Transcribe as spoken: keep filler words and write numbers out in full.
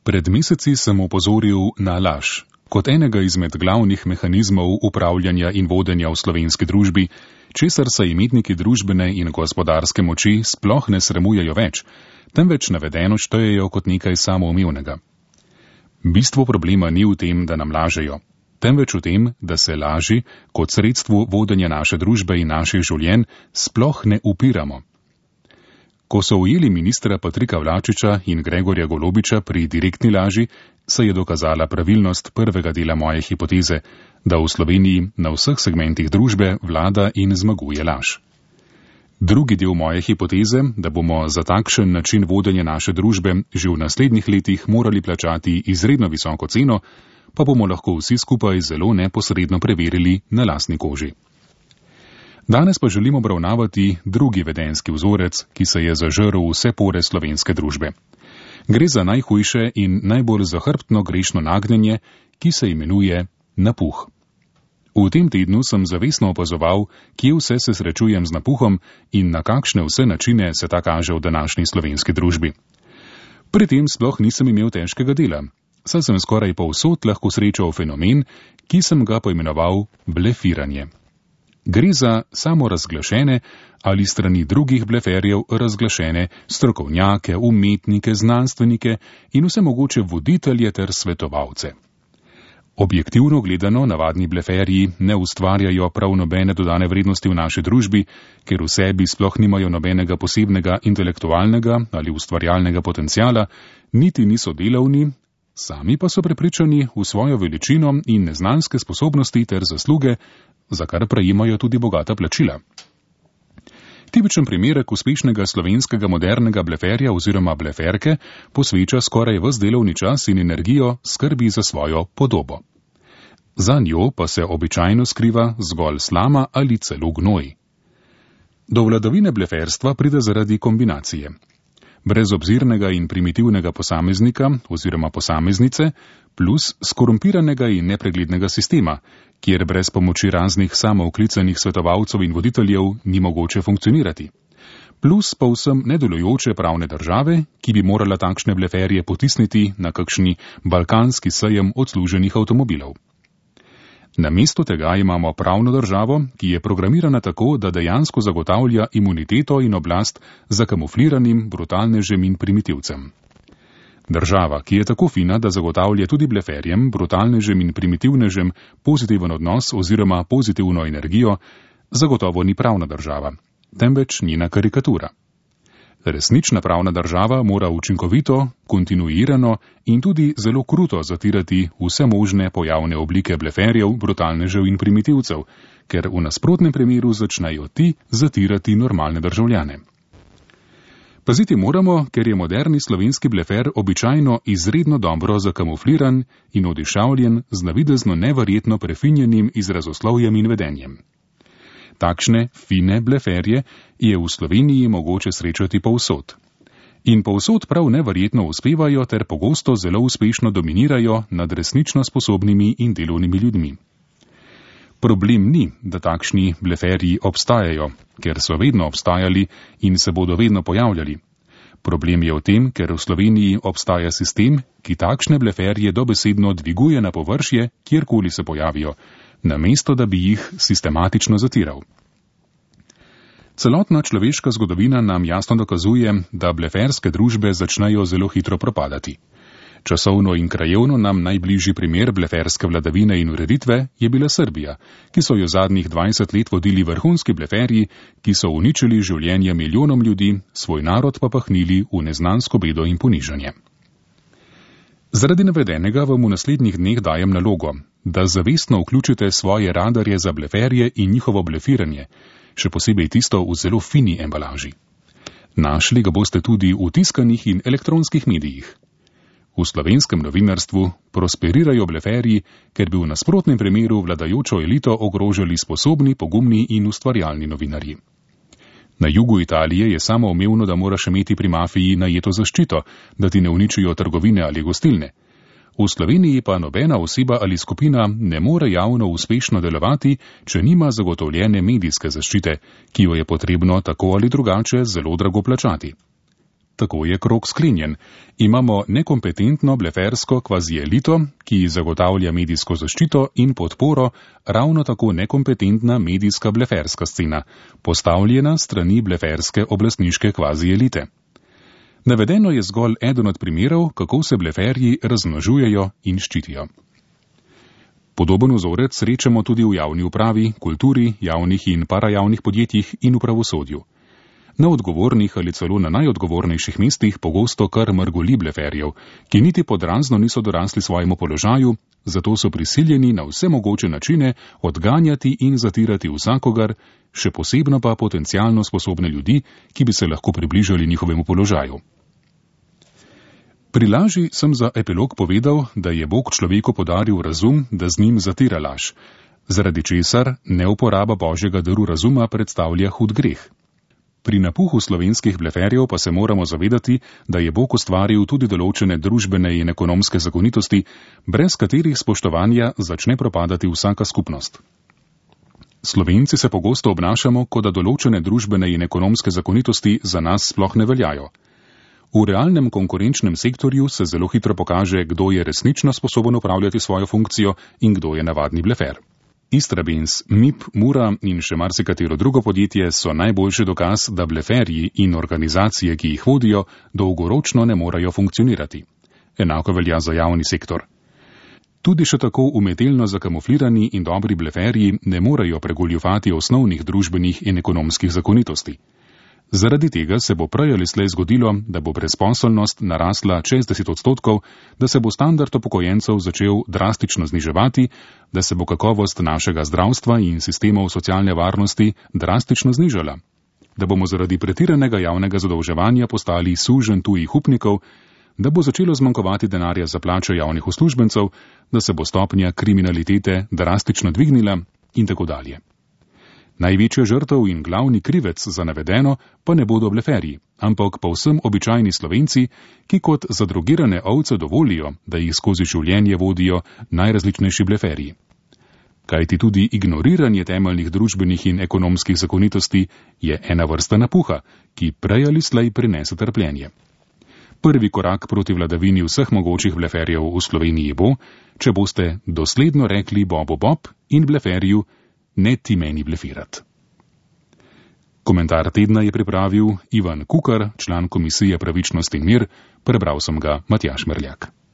Pred meseci sem opozoril na laž, kot enega izmed glavnih mehanizmov upravljanja in vodenja v slovenski družbi, česar se imetniki družbene in gospodarske moči sploh ne sramujejo več, temveč navedeno štejejo kot nekaj samoumevnega. Bistvo problema ni v tem, da nam lažejo, temveč v tem, da se laži kot sredstvu vodenja naše družbe in naših življenj sploh ne upiramo. Ko so ujeli ministra Patrika Vlačiča in Gregorja Golobiča pri direktni laži, se je dokazala pravilnost prvega dela moje hipoteze, da v Sloveniji na vseh segmentih družbe vlada in zmaguje laž. Drugi del moje hipoteze, da bomo za takšen način vodenja naše družbe že v naslednjih letih morali plačati izredno visoko ceno, pa bomo lahko vsi skupaj zelo neposredno preverili na lastni koži. Danes pa želimo obravnavati drugi vedenjski vzorec, ki se je zažrl vse pore slovenske družbe. Gre za najhujše in najbolj zahrbtno grešno nagnjenje, ki se imenuje napuh. V tem tednu sem zavestno opazoval, kje vse se srečujem z napuhom in na kakšne vse načine se ta kaže v današnji slovenski družbi. Pri tem sploh nisem imel težkega dela, saj sem skoraj povsod lahko srečal fenomen, ki sem ga poimenoval blefiranje. Gre za samorazglašene ali strani drugih bleferjev razglašene strokovnjake, umetnike, znanstvenike in vse mogoče voditelje ter svetovalce. Objektivno gledano navadni bleferji ne ustvarjajo prav nobene dodane vrednosti v naši družbi, ker v sebi sploh nimajo nobenega posebnega intelektualnega ali ustvarjalnega potenciala, niti niso delavni, sami pa so prepričani v svojo veličino in neznanske sposobnosti ter zasluge, za kar prejemajo tudi bogata plačila. Tipičen primerek uspešnega slovenskega modernega bleferja oziroma bleferke posveča skoraj ves delovni čas in energijo skrbi za svojo podobo. Za njo pa se običajno skriva zgolj slama ali celo gnoj. Do vladavine bleferstva pride zaradi kombinacije brezobzirnega in primitivnega posameznika oziroma posameznice plus skorumpiranega in nepreglednega sistema, kjer brez pomoči raznih samooklicanih svetovalcev in voditeljev ni mogoče funkcionirati. Plus povsem nedelujoče pravne države, ki bi morala takšne bleferje potisniti na kakšni balkanski sejem odsluženih avtomobilov. Namesto tega imamo pravno državo, ki je programirana tako, da dejansko zagotavlja imuniteto in oblast zakamufliranim brutalnežem in primitivcem. Država, ki je tako fina, da zagotavlja tudi bleferjem, brutalnežem in primitivnežem pozitiven odnos oziroma pozitivno energijo, zagotovo ni pravna država, temveč njena karikatura. Resnična pravna država mora učinkovito, kontinuirano in tudi zelo kruto zatirati vse možne pojavne oblike bleferjev, brutalnežev in primitivcev, ker v nasprotnem primeru začnejo ti zatirati normalne državljane. Paziti moramo, ker je moderni slovenski blefer običajno izredno dobro zakamufliran in odišavljen z navidezno neverjetno prefinjenim izrazoslovjem in vedenjem. Takšne fine bleferje je v Sloveniji mogoče srečati povsod. In povsod prav neverjetno uspevajo ter pogosto zelo uspešno dominirajo nad resnično sposobnimi in delovnimi ljudmi. Problem ni, da takšni bleferji obstajajo, ker so vedno obstajali in se bodo vedno pojavljali. Problem je v tem, ker v Sloveniji obstaja sistem, ki takšne bleferje dobesedno dviguje na površje, kjerkoli se pojavijo, namesto da bi jih sistematično zatiral. Celotna človeška zgodovina nam jasno dokazuje, da bleferske družbe začnejo zelo hitro propadati. Časovno in krajevno nam najbližji primer bleferske vladavine in ureditve je bila Srbija, ki so jo zadnjih dvajset let vodili vrhunski bleferji, ki so uničili življenje milijonom ljudi, svoj narod pa pahnili v neznansko bedo in ponižanje. Zaradi navedenega vam v naslednjih dneh dajem nalogo, da zavestno vključite svoje radarje za bleferje in njihovo blefiranje, še posebej tisto v zelo fini embalaži. Našli ga boste tudi v tiskanih in elektronskih medijih. V slovenskem novinarstvu prosperirajo bleferji, ker bi v nasprotnem primeru vladajočo elito ogrožali sposobni, pogumni in ustvarjalni novinarji. Na jugu Italije je samoumevno, da moraš imeti pri mafiji najeto zaščito, da ti ne uničijo trgovine ali gostilne. V Sloveniji pa nobena oseba ali skupina ne more javno uspešno delovati, če nima zagotovljene medijske zaščite, ki jo je potrebno tako ali drugače zelo drago plačati. Tako je krog sklenjen. Imamo nekompetentno blefersko kvazielito, ki zagotavlja medijsko zaščito in podporo, ravno tako nekompetentna medijska bleferska scena, postavljena strani bleferske oblastniške kvazielite. Navedeno je zgolj eden od primerov, kako se bleferji razmnožujejo in ščitijo. Podoben vzorec srečamo tudi v javni upravi, kulturi, javnih in parajavnih podjetjih in v pravosodju. Na odgovornih ali celo na najodgovornejših mestih pogosto kar mrgoli bleferjev, ki niti podrazno niso dorasli svojemu položaju, zato so prisiljeni na vse mogoče načine odganjati in zatirati vsakogar, še posebno pa potencialno sposobne ljudi, ki bi se lahko približali njihovemu položaju. Pri laži sem za epilog povedal, da je Bog človeku podaril razum, da z njim zatira laž, zaradi česar neuporaba Božjega daru razuma predstavlja hud greh. Pri napuhu slovenskih bleferjev pa se moramo zavedati, da je Bog ustvaril tudi določene družbene in ekonomske zakonitosti, brez katerih spoštovanja začne propadati vsaka skupnost. Slovenci se pogosto obnašamo, kot da določene družbene in ekonomske zakonitosti za nas sploh ne veljajo. V realnem konkurenčnem sektorju se zelo hitro pokaže, kdo je resnično sposoben upravljati svojo funkcijo in kdo je navadni blefer. Istrabenz, M I P, Mura in še marsikatero drugo podjetje so najboljši dokaz, da bleferji in organizacije, ki jih vodijo, dolgoročno ne morejo funkcionirati. Enako velja za javni sektor. Tudi še tako umetelno zakamuflirani in dobri bleferji ne morejo pregoljufati osnovnih družbenih in ekonomskih zakonitosti. Zaradi tega se bo prej ali slej zgodilo, da bo brezposelnost narasla čez deset odstotkov, da se bo standard upokojencev začel drastično zniževati, da se bo kakovost našega zdravstva in sistemov socialne varnosti drastično znižala, da bomo zaradi pretiranega javnega zadolževanja postali suženj tujih upnikov, da bo začelo zmanjkovati denarja za plače javnih uslužbencev, da se bo stopnja kriminalitete drastično dvignila in tako dalje. Največja žrtev in glavni krivec za navedeno pa ne bodo bleferji, ampak povsem običajni Slovenci, ki kot zadrogirane ovce dovolijo, da jih skozi življenje vodijo najrazličnejši bleferji. Kajti tudi ignoriranje temeljnih družbenih in ekonomskih zakonitosti je ena vrsta napuha, ki prej ali slej prinese trpljenje. Prvi korak proti vladavini vseh mogočih bleferjev v Sloveniji bo, če boste dosledno rekli Bobu Bob in bleferju, ne ti meni blefirat. Komentar tedna je pripravil Ivan Kukar, član Komisije Pravičnost in mir, prebral sem ga Matjaž Merljak.